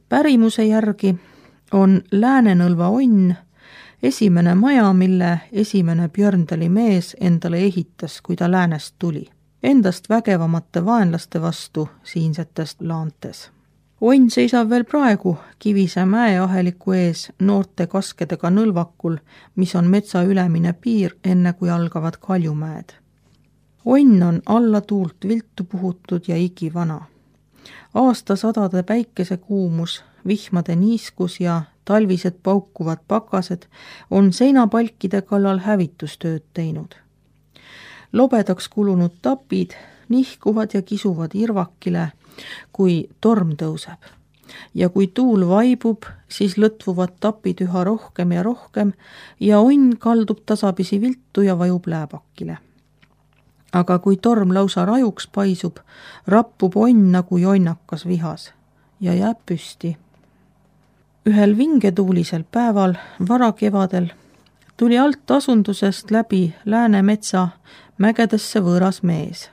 Pärimuse järgi on Läänenõlva onn esimene maja, mille esimene Björndali mees endale ehitas, kui ta läänest tuli, endast vägevamate vaenlaste vastu siinsetest laantes. Onn seisab veel praegu Kivise mäeaheliku ees noorte kaskedega nõlvakul, mis on metsa ülemine piir, enne kui algavad Kaljumäed. Onn on alla tuult viltu puhutud ja igivana. Aastasadade päikesekuumus, vihmade niiskus ja talvised paukuvad pakased on seinapalkide kallal hävitustööd teinud. Lobedaks kulunud tapid nihkuvad ja kisuvad irvakile, kui torm tõuseb. Ja kui tuul vaibub, siis lõtvuvad tapid üha rohkem ja onn kaldub tasapisi viltu ja vajub lääbakile. Aga kui torm lausa rajuks paisub, rappub onn nagu jonnakas vihas ja jääb püsti. Ühel vingetuulisel päeval, varakevadel, tuli alt asundusest läbi Läänemetsa mägedesse võõras mees.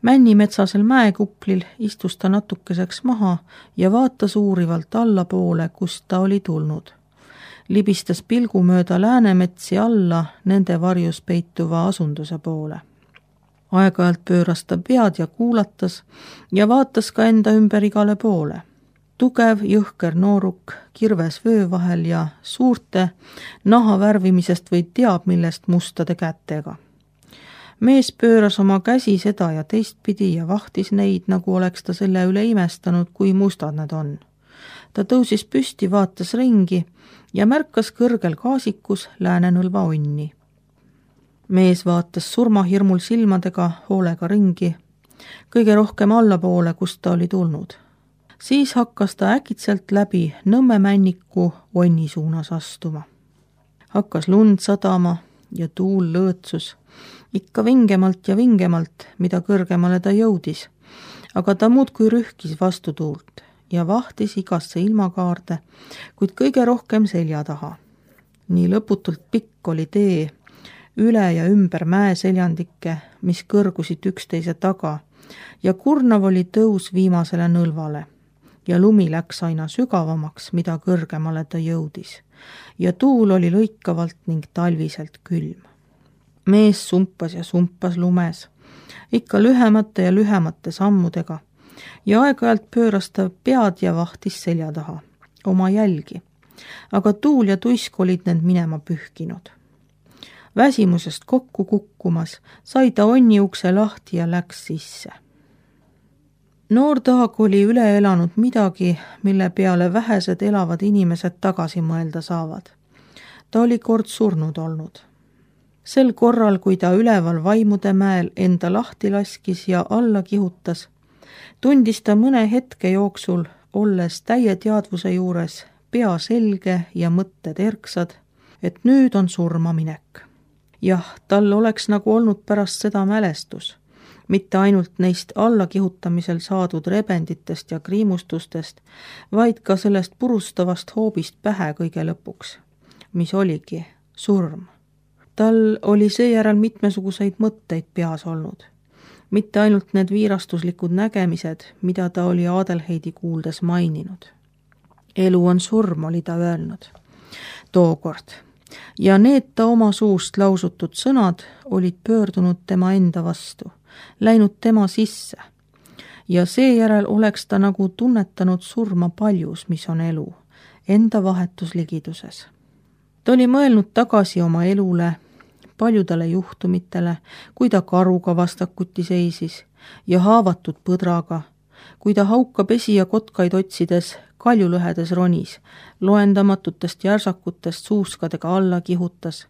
Männimetsasel mäekuplil istus ta natukeseks maha ja vaatas uurivalt allapoole, kust ta oli tulnud. Libistas pilgu mööda Läänemetsi alla nende varjus peituva asunduse poole. Aeg-ajalt pööras ta pead ja kuulatas ja vaatas ka enda ümber igale poole. Tugev, jõhker nooruk kirves vöö vahel ja suurte naha värvimisest või teab millest mustade kätega. Mees pööras oma käsi seda ja teistpidi ja vahtis neid, nagu oleks ta selle üle imestanud, kui mustad nad on. Ta tõusis püsti, vaatas ringi ja märkas kõrgel kaasikus Läänenõlva onni. Mees vaatas surmahirmul silmadega hoolega ringi, kõige rohkem allapoole, kust ta oli tulnud. Siis hakkas ta äkitselt läbi Nõmme männiku onni suunas astuma. Hakkas lund sadama ja tuul lõõtsus, ikka vingemalt ja vingemalt, mida kõrgemale ta jõudis, aga ta muudkui rühkis vastu tuult ja vahtis igasse ilmakaarde, kuid kõige rohkem selja taha. Nii lõputult pikk oli tee, üle ja ümber mäeseljandikke, mis kõrgusid üksteise taga ja kurnav oli tõus viimasele nõlvale ja lumi läks aina sügavamaks, mida kõrgemale ta jõudis ja tuul oli lõikavalt ning talviselt külm. Mees sumpas ja sumpas lumes, ikka lühemate ja lühemate sammudega ja aeg-ajalt pööras ta pead ja vahtis selja taha, oma jälgi, aga tuul ja tuisk olid need minema pühkinud. Väsimusest kokku kukkumas sai ta onni ukse lahti ja läks sisse. Noor Taag oli üle elanud midagi, mille peale vähesed elavad inimesed tagasi mõelda saavad. Ta oli kord surnud olnud. Sel korral, kui ta üleval Vaimude mäel enda lahti laskis ja alla kihutas, tundis ta mõne hetke jooksul, olles täie teadvuse juures, pea selge ja mõtted erksad, et nüüd on surmaminek. Jah, tal oleks nagu olnud pärast seda mälestus, mitte ainult neist allakihutamisel saadud rebenditest ja kriimustustest, vaid ka sellest purustavast hoobist pähe kõige lõpuks, mis oligi surm. Tal oli seejärel mitmesuguseid mõtteid peas olnud, mitte ainult need viirastuslikud nägemised, mida ta oli Adelheidi kuuldes maininud. Elu on surm, oli ta öelnud tookord. Ja need ta oma suust lausutud sõnad olid pöördunud tema enda vastu, läinud tema sisse ja seejärel oleks ta nagu tunnetanud surma paljus, mis on elu, enda vahetus ligiduses. Ta oli mõelnud tagasi oma elule, paljudele juhtumitele, kui ta karuga vastakuti seisis ja haavatud põdraga, kui ta hauka pesi ja kotkaid otsides kaljulõhedes ronis, loendamatutest järsakutest suuskadega alla kihutas,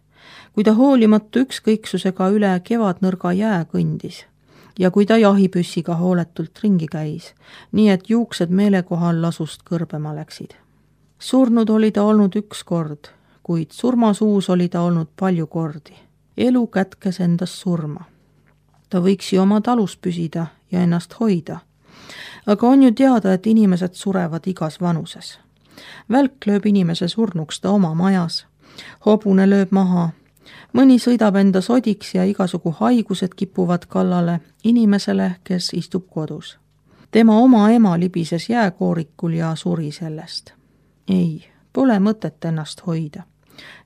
kui ta hoolimatu ükskõiksusega üle kevadnõrga jää kõndis ja kui ta jahipüssiga hooletult ringi käis, nii et juuksed meelekohal lasust kõrbema läksid. Surnud oli ta olnud üks kord, kuid surmasuus oli ta olnud palju kordi. Elu kätkes endas surma. Ta võiks ju oma talus püsida ja ennast hoida. Aga on ju teada, et inimesed surevad igas vanuses. Välk lööb inimese surnuks ta oma majas, hobune lööb maha, mõni sõidab enda sodiks ja igasugu haigused kipuvad kallale inimesele, kes istub kodus. tema oma ema libises jääkoorikul ja suri sellest. Ei, pole mõtet ennast hoida.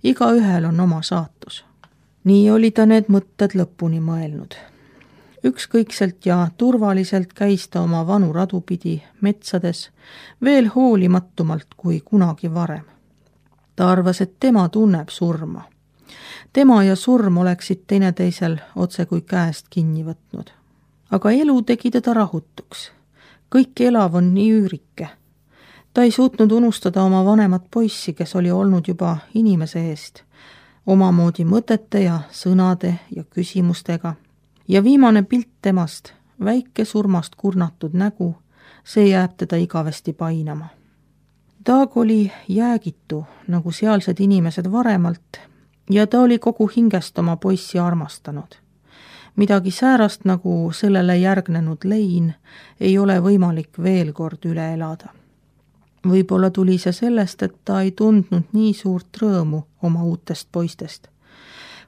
Igaühel on oma saatus. Nii oli ta need mõtted lõpuni mõelnud. Ükskõikselt ja turvaliselt käis ta oma vanu radu pidi metsades veel hoolimatumalt kui kunagi varem. Ta arvas, et tema tunneb surma. Tema ja surm oleksid teineteisel otse kui käest kinni võtnud. Aga elu tegi teda rahutuks. Kõik elav on nii üürike. Ta ei suutnud unustada oma vanemat poissi, kes oli olnud juba inimese eest, omamoodi mõtete ja sõnade ja küsimustega. Ja viimane pilt temast, väike surmast kurnatud nägu, see jääb teda igavesti painama. Daag oli jäägitu, nagu sealsed inimesed varemalt, ja ta oli kogu hingest oma poissi armastanud. Midagi säärast, nagu sellele järgnenud lein, ei ole võimalik veel kord üle elada. Võib-olla tuli see sellest, et ta ei tundnud nii suurt rõõmu oma uutest poistest.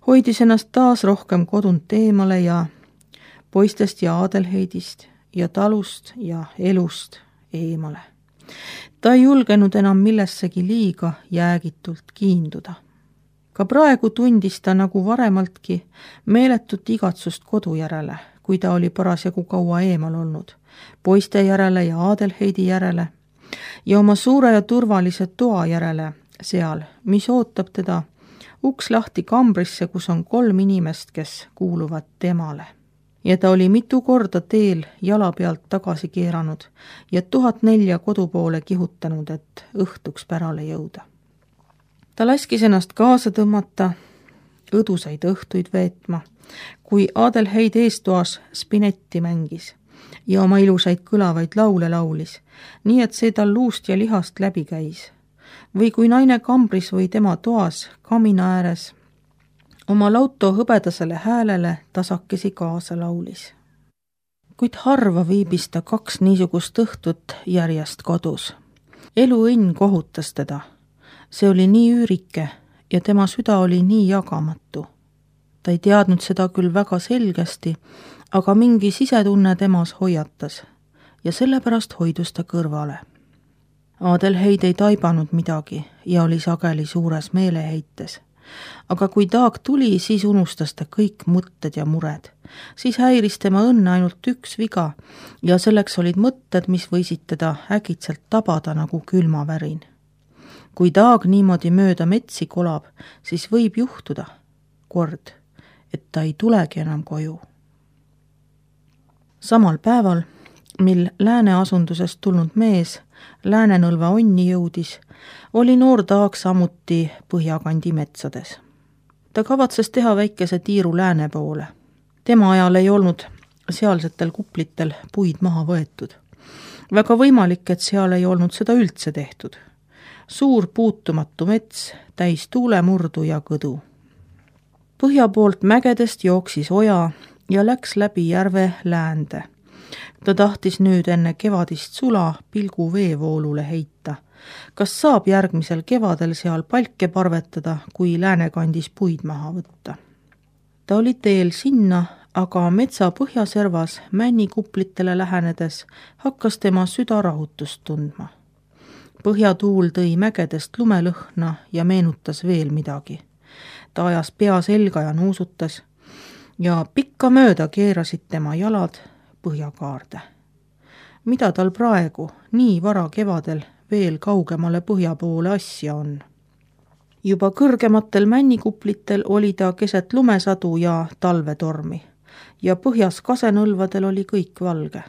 Hoidis ennast taas rohkem kodunt eemale ja poistest ja Adelheidist ja talust ja elust eemale. Ta ei julgenud enam millessegi liiga jäägitult kiinduda. Ka praegu tundis ta nagu varemaltki meeletut igatsust kodu järele, kui ta oli parasjagu kaua eemal olnud, poiste järele ja Adelheidi järele ja oma suure ja turvalise toa järele seal, mis ootab teda uks lahti kambrisse, kus on 3 inimest, kes kuuluvad temale. Ja ta oli mitu korda teel jala pealt tagasi keeranud ja 1004 kodu poole kihutanud, et õhtuks pärale jõuda. Ta laskis ennast kaasa tõmmata, õdusaid õhtuid veetma, kui Adelheid eestoas spinetti mängis ja oma ilusaid kõlavaid laule laulis, nii et see tal luust ja lihast läbi käis. Või kui naine kambris või tema toas kamina ääres oma lauto hõbedasele häälele tasakesi kaasa laulis. Kuid harva viibis ta 2 niisugust õhtut järjest kodus. Eluõnn kohutas teda. See oli nii üürike ja tema süda oli nii jagamatu. Ta ei teadnud seda küll väga selgesti, aga mingi sisetunne temas hoiatas ja sellepärast hoidus ta kõrvale. Adelheid ei taibanud midagi ja oli sageli suures meeleheites. Aga kui Daag tuli, siis unustas ta kõik mõtted ja mured. Siis häiris tema õnne ainult üks viga ja selleks olid mõtted, mis võisid teda äkitselt tabada nagu külmavärin. Kui Daag niimoodi mööda metsi kolab, siis võib juhtuda kord, et ta ei tulegi enam koju. Samal päeval, mil Lääne-asundusest tulnud mees Lääne-Nõlva onni jõudis, oli noor Daag samuti Põhjakandi metsades. Ta kavatses teha väikese tiiru lääne poole. Tema ajal ei olnud sealsetel kuplitel puid maha võetud. Väga võimalik, et seal ei olnud seda üldse tehtud. Suur puutumatu mets, täis tuulemurdu ja kõdu. Põhja poolt mägedest jooksis oja ja läks läbi järve läände. Ta tahtis nüüd enne kevadist sula pilgu veevoolule heita. Kas saab järgmisel kevadel seal palke parvetada, kui läänekandis puid maha võtta? Ta oli teel sinna, aga metsa põhjaservas männikuplitele lähenedes hakkas tema süda rahutust tundma. Põhjatuul tõi mägedest lumelõhna ja meenutas veel midagi. Ta ajas pea selga ja nuusutas ja pikka mööda keerasid tema jalad põhjakaarde. Mida tal praegu, nii vara kevadel, veel kaugemale põhja poole asja on? Juba kõrgematel männikuplitel oli ta keset lumesadu ja talvetormi ja põhjas kasenõlvadel oli kõik valge.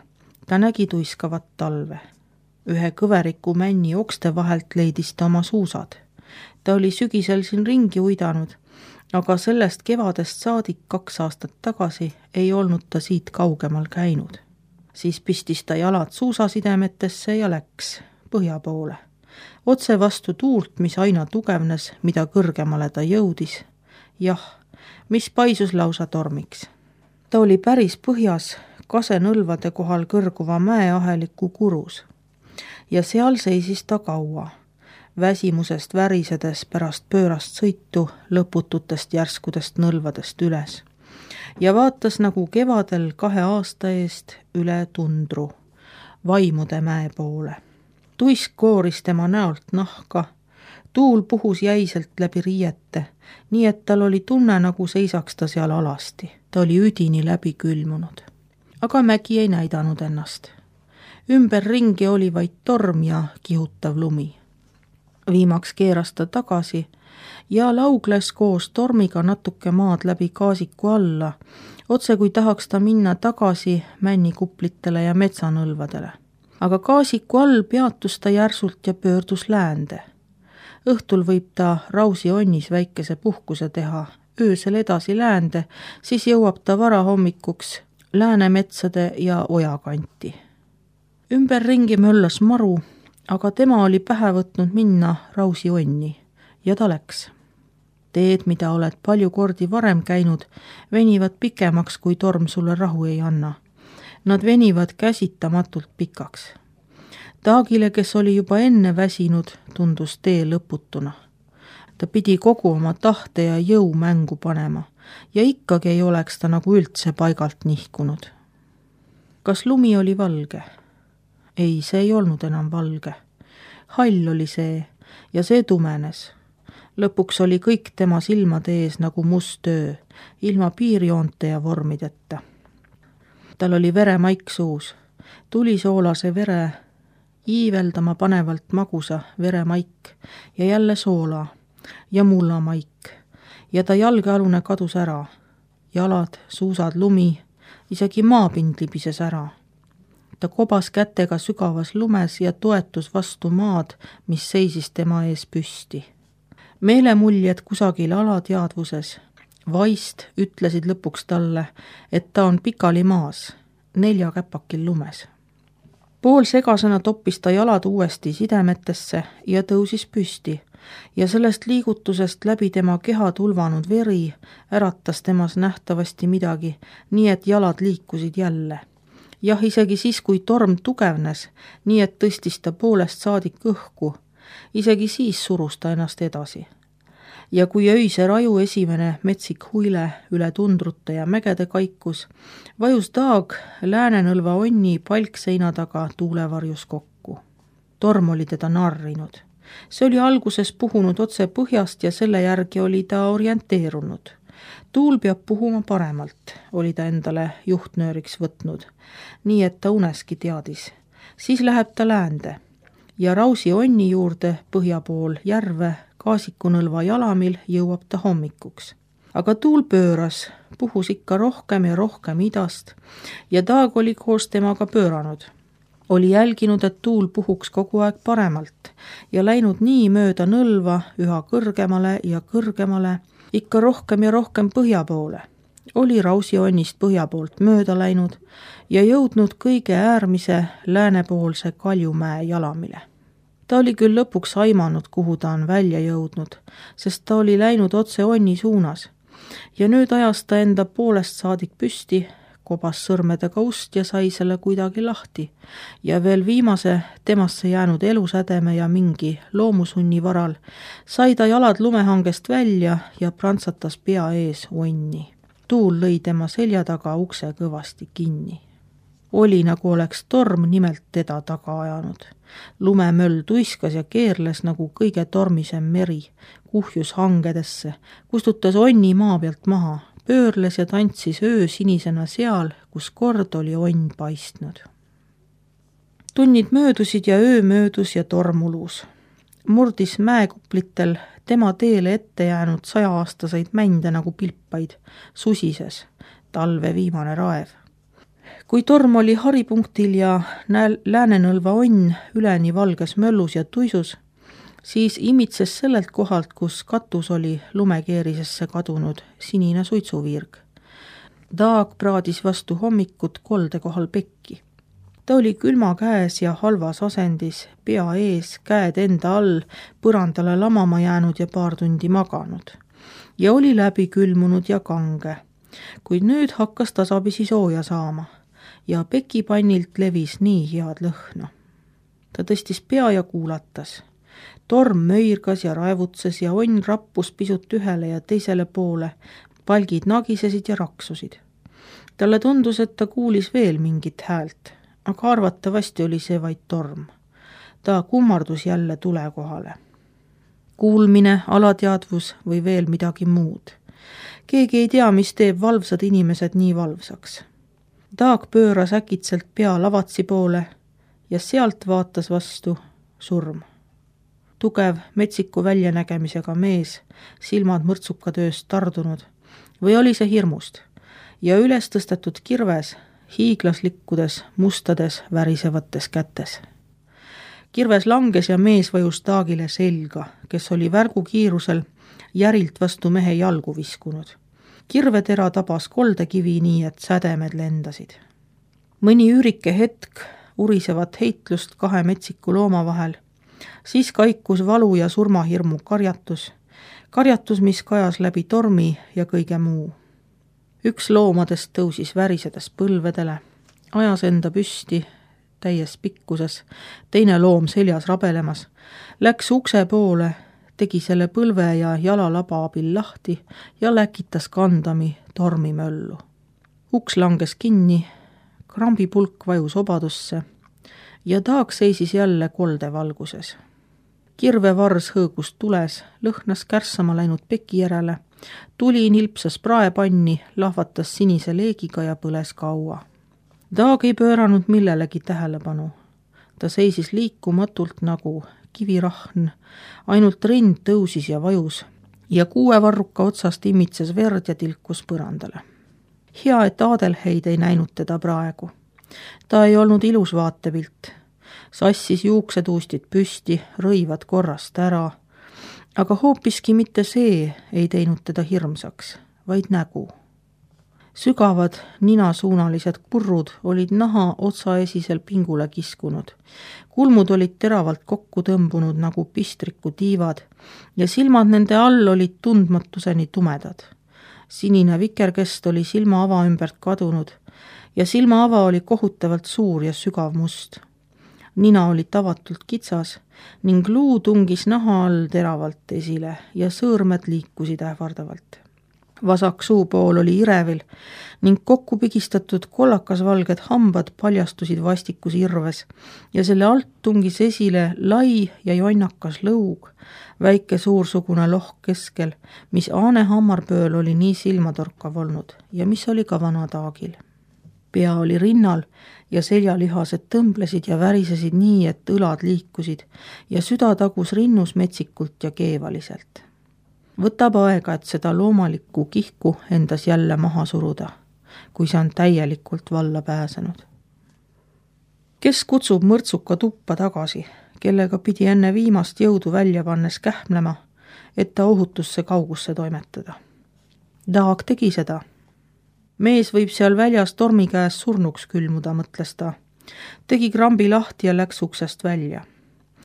Ta nägi tuiskavat talve. Ühe kõveriku männi okste vahelt leidis ta oma suusad. Ta oli sügisel siin ringi uidanud, aga sellest kevadest saadik 2 aastat tagasi ei olnud ta siit kaugemal käinud. Siis pistis ta jalad suusasidemetesse ja läks põhja poole. Otse vastu tuult, mis aina tugevnes, mida kõrgemale ta jõudis. Jah, mis paisus lausa tormiks. Ta oli päris põhjas kasenõlvade kohal kõrguva mäeaheliku kurus. Ja seal seisis ta kaua, väsimusest värisedes pärast pöörast sõitu lõpututest järskudest nõlvadest üles. Ja vaatas nagu kevadel 2 aasta eest üle tundru, Vaimude mäe poole. Tuisk kooris tema näolt nahka, tuul puhus jäiselt läbi riiete, nii et tal oli tunne, nagu seisaks ta seal alasti. Ta oli üdini läbi külmunud. Aga mägi ei näidanud ennast. Ümberringi oli vaid torm ja kihutav lumi. Viimaks keeras ta tagasi ja laugles koos tormiga natuke maad läbi Kaasiku alla, otse kui tahaks ta minna tagasi männikuplitele ja metsanõlvadele. Aga Kaasiku all peatus ta järsult ja pöördus läände. Õhtul võib ta Rausi onnis väikese puhkuse teha, öösel edasi läände, siis jõuab ta varahommikuks Läänemetsade ja ojakanti. Ümberringi möllas maru, aga tema oli pähe võtnud minna Rausi onni ja ta läks. Teed, mida oled palju kordi varem käinud, venivad pikemaks, kui torm sulle rahu ei anna. Nad venivad käsitamatult pikaks. Taagile, kes oli juba enne väsinud, tundus tee lõputuna. Ta pidi kogu oma tahte ja jõu mängu panema ja ikkagi ei oleks ta nagu üldse paigalt nihkunud. Kas lumi oli valge? Ei, see ei olnud enam valge. Hall oli see ja see tumenes. Lõpuks oli kõik tema silmade ees nagu must öö, ilma piirjoonte ja vormideta. Tal oli veremaik suus, tulisoolase vere, iiveldama panevalt magusa veremaik ja jälle soola ja mullamaik ja ta jalgealune kadus ära. Jalad, suusad, lumi, isegi maapind libises ära. Ta kobas kätega sügavas lumes ja toetus vastu maad, mis seisis tema ees püsti. Meelemuljed kusagil alateadvuses, vaist ütlesid lõpuks talle, et ta on pikali maas, 4 käpakil lumes. Poolsegasena toppis ta jalad uuesti sidemetesse ja tõusis püsti ja sellest liigutusest läbi tema keha tulvanud veri äratas temas nähtavasti midagi, nii et jalad liikusid jälle. Jah, isegi siis, kui torm tugevnes, nii et tõstis ta poolest saadik õhku, isegi siis surus ta ennast edasi. Ja kui öise raju esimene metsik huile üle tundrute ja mägede kaikus, vajus Taag Läänenõlva onni palkseina taga tuulevarjus kokku. Torm oli teda narrinud. See oli alguses puhunud otse põhjast ja selle järgi oli ta orienteerunud. Tuul peab puhuma paremalt, oli ta endale juhtnööriks võtnud, nii et ta uneski teadis. Siis läheb ta läände ja Rausi onni juurde põhja pool järve Kaasikunõlva jalamil jõuab ta hommikuks. Aga tuul pööras, puhus ikka rohkem ja rohkem idast ja Taag oli koos temaga pööranud. Oli jälginud, et tuul puhuks kogu aeg paremalt ja läinud nii mööda nõlva üha kõrgemale ja kõrgemale, ikka rohkem ja rohkem põhja poole. Oli Rausi onnist põhja poolt mööda läinud ja jõudnud kõige äärmise läänepoolse Kaljumäe jalamile. Ta oli küll lõpuks aimanud, kuhu ta on välja jõudnud, sest ta oli läinud otse onni suunas ja nüüd ajas ta enda poolest saadik püsti, kobas sõrmedega ust ja sai selle kuidagi lahti ja veel viimase temasse jäänud elusädeme ja mingi loomusunni varal sai ta jalad lumehangest välja ja prantsatas pea ees onni. Tuul lõi tema selja taga ukse kõvasti kinni. Oli nagu oleks torm nimelt teda taga ajanud. Lumemöll tuiskas ja keerles nagu kõige tormisem meri, kuhjus hangedesse, kustutas onni maa pealt maha, pöörles ja tantsis öö sinisena seal, kus kord oli onn paistnud. Tunnid möödusid ja öö möödus ja torm ulus. Murdis mäekuplitel tema teele ette jäänud 100-aastaseid mände nagu pilpaid, susises, talve viimane raev. Kui torm oli haripunktil ja Läänenõlva onn üleni valges möllus ja tuisus, siis imitses sellelt kohalt, kus katus oli lumekeerisesse kadunud sinine suitsuviirg. Taag praadis vastu hommikut kolde kohal pekki. Ta oli külma käes ja halvas asendis, pea ees, käed enda all, põrandale lamama jäänud ja paar tundi maganud. Ja oli läbi külmunud ja kange, kuid nüüd hakkas tasapisi sooja saama ja pekipannilt levis nii head lõhna. Ta tõstis pea ja kuulatas. Torm möirgas ja raevutses ja onn rappus pisut ühele ja teisele poole, palgid nagisesid ja raksusid. Talle tundus, et ta kuulis veel mingit häält, aga arvatavasti oli see vaid torm. Ta kummardus jälle tule kohale. Kuulmine, alateadvus või veel midagi muud. Keegi ei tea, mis teeb valvsad inimesed nii valvsaks. Daag pööras äkitselt pea lavatsi poole ja sealt vaatas vastu surm. Tugev, metsiku väljanägemisega mees, silmad mõrtsukatööst tardunud, või oli see hirmust, ja üles tõstetud kirves, hiiglaslikkudes, mustades, värisevates kätes. Kirves langes ja mees vajus Daagile selga, kes oli värgu kiirusel järilt vastu mehe jalgu viskunud. Kirvetera tabas koldekivi nii, et sädemed lendasid. Mõni üürike hetk urisevat heitlust kahe metsiku looma vahel, siis kaikus valu ja surmahirmu karjatus, mis kajas läbi tormi ja kõige muu. Üks loomadest tõusis värisedes põlvedele, ajas enda püsti täies pikkuses, teine loom seljas rabelemas, läks ukse poole, tegi selle põlve ja jalalaba abil lahti ja läkitas kandami tormimöllu. Uks langes kinni, krambipulk vajus obadusse ja Daag seisis jälle kolde valguses. Kirvevars hõõgus tules, lõhnas kärssama läinud peki järele, tuli nilpsas praepanni, lahvatas sinise leegiga ja põles kaua. Daag ei pööranud millelegi tähelepanu. Ta seisis liikumatult nagu kivirahn, ainult rind tõusis ja vajus ja 6 varruka otsast imitses verd ja tilkus põrandale. Hea, et Adelheid ei näinud teda praegu. Ta ei olnud ilus vaatepilt. Sassis juuksetuustid püsti, rõivad korrast ära, aga hoopiski mitte see ei teinud teda hirmsaks, vaid nägu. Sügavad ninasuunalised kurrud olid naha otsaesisel pingule kiskunud. Kulmud olid teravalt kokku tõmbunud nagu pistriku tiivad ja silmad nende all olid tundmatuseni tumedad. Sinine vikerkest oli silmaava ümbert kadunud ja silmaava oli kohutavalt suur ja sügav must. Nina oli tavatult kitsas ning luu tungis naha all teravalt esile ja sõõrmed liikusid ähvardavalt. Vasak suupool oli irevil ning kokku pigistatud kollakasvalged hambad paljastusid vastikus irves ja selle alt tungis esile lai ja jonnakas lõug, väike suursugune lohk keskel, mis Aane hammarpööl oli nii silmatorkav olnud ja mis oli ka vana Daagil. Pea oli rinnal ja seljalihased tõmblesid ja värisesid nii, et õlad liikusid ja süda tagus rinnus metsikult ja keevaliselt. Võtab aega, et seda loomalikku kihku endas jälle maha suruda, kui see on täielikult valla pääsenud. Kes kutsub mõrtsuka tuppa tagasi, kellega pidi enne viimast jõudu välja pannes kähmlema, et ta ohutusse kaugusse toimetada? Daag tegi seda. Mees võib seal väljas tormi käes surnuks külmuda, mõtles ta. Tegi krambi lahti ja läks uksest välja.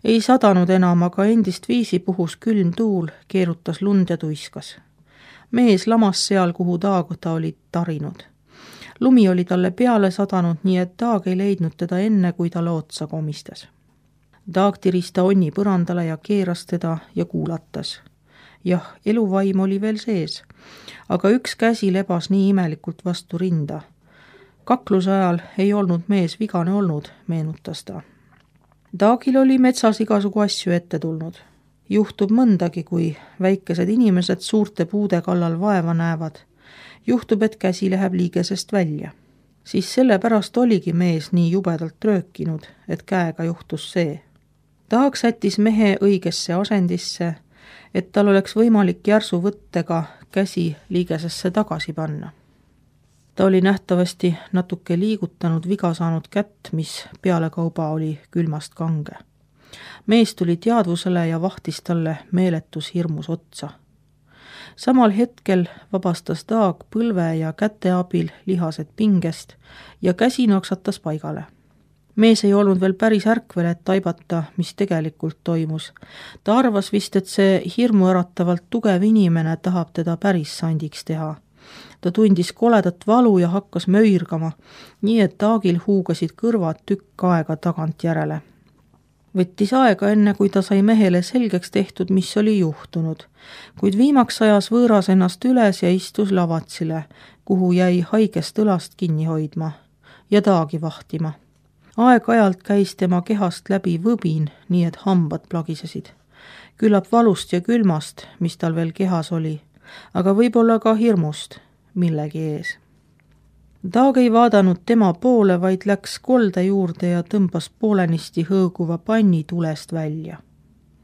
Ei sadanud enam, aga endist viisi puhus külm tuul, keerutas lund ja tuiskas. Mees lamas seal, kuhu Daag ta oli tarinud. Lumi oli talle peale sadanud, nii et Daag ei leidnud teda enne, kui ta lootsa komistas. Daag tiris ta onni põrandale ja keeras teda ja kuulatas. Jah, eluvaim oli veel sees, aga üks käsi lebas nii imelikult vastu rinda. Kakluse ajal ei olnud mees vigane olnud, meenutas ta. Daagil oli metsas igasugu asju ette tulnud. Juhtub mõndagi, kui väikesed inimesed suurte puude kallal vaeva näevad. Juhtub, et käsi läheb liigesest välja. Siis sellepärast oligi mees nii jubedalt röökinud, et käega juhtus see. Daag sättis mehe õigesse asendisse, et tal oleks võimalik järsu võttega käsi liigesesse tagasi panna. Ta oli nähtavasti natuke liigutanud viga saanud kätt, mis pealekauba oli külmast kange. Mees tuli teadvusele ja vahtis talle meeletus hirmus otsa. Samal hetkel vabastas Daag põlve ja käte abil lihased pingest ja käsi noksatas paigale. Mees ei olnud veel päris ärkvel, et taibata, mis tegelikult toimus. Ta arvas vist, et see hirmuäratavalt tugev inimene tahab teda päris sandiks teha. Ta tundis koledat valu ja hakkas möirgama, nii et Daagil huugasid kõrvad tükk aega tagant järele. Võttis aega enne, kui ta sai mehele selgeks tehtud, mis oli juhtunud, kuid viimaks ajas võõras ennast üles ja istus lavatsile, kuhu jäi haigest õlast kinni hoidma ja Daagi vahtima. Aeg-ajalt käis tema kehast läbi võbin, nii et hambad plagisesid. Küllap valust ja külmast, mis tal veel kehas oli, aga võib-olla ka hirmust millegi ees. Daag ei vaadanud tema poole, vaid läks kolde juurde ja tõmbas poolenisti hõõguva panni tulest välja.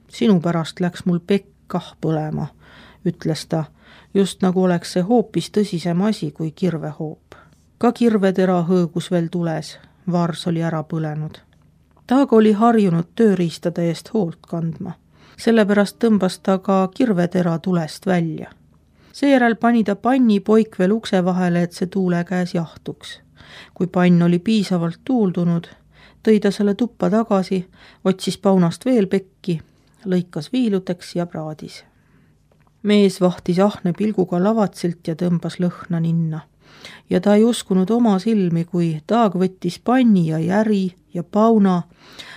Sinu pärast läks mul pekk kah põlema, ütles ta, just nagu oleks see hoopis tõsisem asi kui kirvehoop. Ka kirvetera hõõgus veel tules, vars oli ära põlenud. Daag oli harjunud tööriistade eest hoolt kandma, sellepärast tõmbas ta ka kirvetera tulest välja. Seejärel pani ta panni poik veel ukse vahele, et see tuule käes jahtuks. Kui pann oli piisavalt tuuldunud, tõi ta selle tuppa tagasi, otsis paunast veel pekki, lõikas viiluteks ja praadis. Mees vahtis ahne pilguga lavatsilt ja tõmbas lõhna ninna. Ja ta ei uskunud oma silmi, kui Daag võttis panni ja järi ja pauna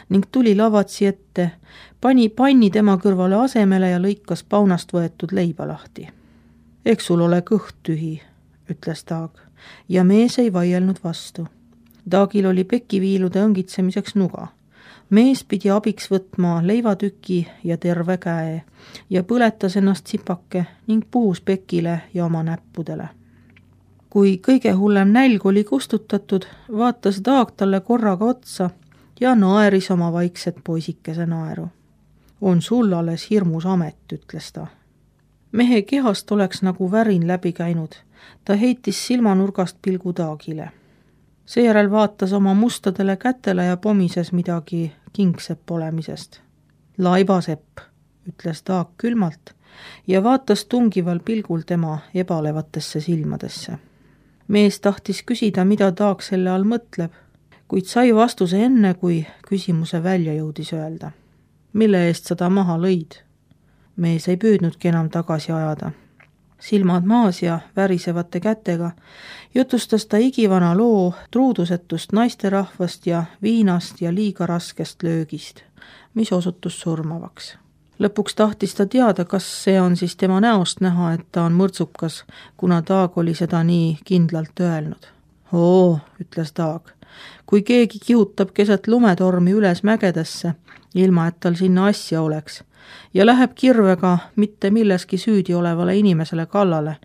ning tuli lavatsi ette, pani panni tema kõrvale asemele ja lõikas paunast võetud leiba lahti. Eks sul ole kõht tühi, ütles Daag, ja mees ei vaielnud vastu. Daagil oli pekiviilude õngitsemiseks nuga. Mees pidi abiks võtma leivatüki ja terve käe ja põletas ennast sipake ning puhus pekile ja oma näppudele. Kui kõige hullem nälg oli kustutatud, vaatas Daag talle korraga otsa ja naeris oma vaikset poisikese naeru. On sul alles hirmus amet, ütles ta. Mehe kehast oleks nagu värin läbi käinud. Ta heitis silmanurgast pilgu Daagile. Seejärel vaatas oma mustadele kätele ja pomises midagi kingsepp olemisest. Laibasepp, ütles Daag külmalt ja vaatas tungival pilgul tema ebalevatesse silmadesse. Mees tahtis küsida, mida Daag selle all mõtleb, kuid sai vastuse enne, kui küsimuse välja jõudis öelda. Mille eest sa ta maha lõid? Mees ei püüdnudki enam tagasi ajada. Silmad maas ja värisevate kätega jutustas ta igivana loo truudusetust naisterahvast ja viinast ja liiga raskest löögist, mis osutus surmavaks. Lõpuks tahtis ta teada, kas see on siis tema näost näha, et ta on mõrtsukas, kuna Daag oli seda nii kindlalt öelnud. Oo, ütles Daag, kui keegi kihutab keset lumetormi üles mägedesse, ilma et tal sinna asja oleks, ja läheb kirvega mitte milleski süüdi olevale inimesele kallale,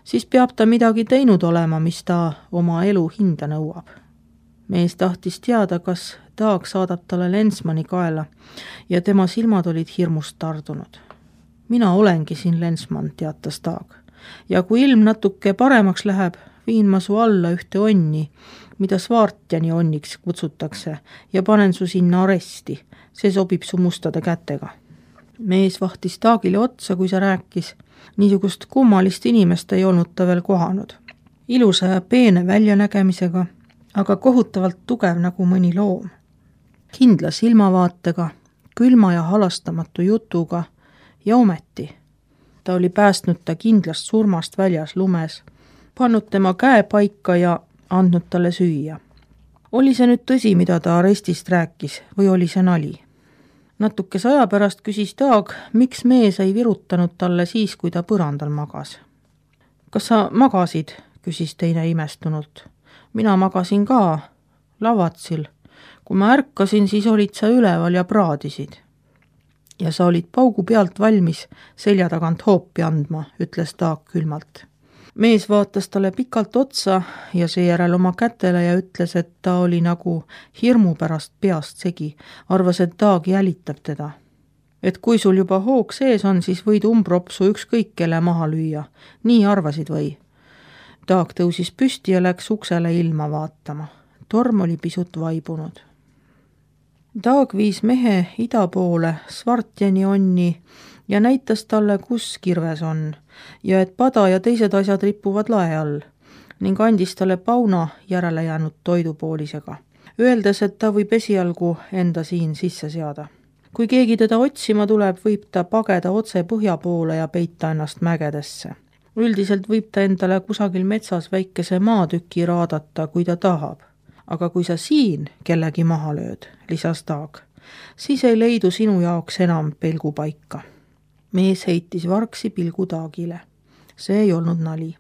siis peab ta midagi teinud olema, mis ta oma elu hinda nõuab. Mees tahtis teada, kas Daag saadab talle Lensmani kaela ja tema silmad olid hirmust tardunud. Mina olengi siin Lensman, teatas Daag, ja kui ilm natuke paremaks läheb, viin ma su alla ühte onni, mida Svartjani onniks kutsutakse, ja panen su sinna aresti, see sobib su mustade kätega. Mees vahtis Daagile otsa, kui see rääkis. Niisugust kummalist inimest ei olnud ta veel kohanud. Ilusa ja peene väljanägemisega, aga kohutavalt tugev nagu mõni loom. Kindla silmavaatega, külma ja halastamatu jutuga ja ometi. Ta oli päästnud ta kindlast surmast väljas lumes, pannud tema käe paika ja andnud talle süüa. Oli see nüüd tõsi, mida ta arestist rääkis, või oli see nali? Natukese aja pärast küsis Daag, miks mees ei virutanud talle siis, kui ta põrandal magas. Kas sa magasid, küsis teine imestunult. Mina magasin ka, lavatsil. Kui ma ärkasin, siis olid sa üleval ja praadisid. Ja sa olid paugu pealt valmis selja tagant hoopi andma, ütles Daag külmalt. Mees vaatas talle pikalt otsa ja seejärel oma kätele ja ütles, et ta oli nagu hirmu pärast peast segi, arvas, et Daag jälitab teda. Et kui sul juba hoog sees on, siis võid umbropsu ükskõik kelle maha lüüa. Nii arvasid või? Daag tõusis püsti ja läks uksele ilma vaatama. Torm oli pisut vaibunud. Daag viis mehe ida poole Svartjani onni ja näitas talle, kus kirves on ja et pada ja teised asjad ripuvad lae all ning andis talle pauna järele jäänud toidupoolisega, öeldes, et ta võib esialgu enda siin sisse seada. Kui keegi teda otsima tuleb, võib ta pageda otse põhja poole ja peita ennast mägedesse. Üldiselt võib ta endale kusagil metsas väikese maatüki raadata, kui ta tahab. Aga kui sa siin kellegi maha lööd, lisas Daag, siis ei leidu sinu jaoks enam pelgupaika. Mees heitis vargsi pilgu Daagile. See ei olnud nali.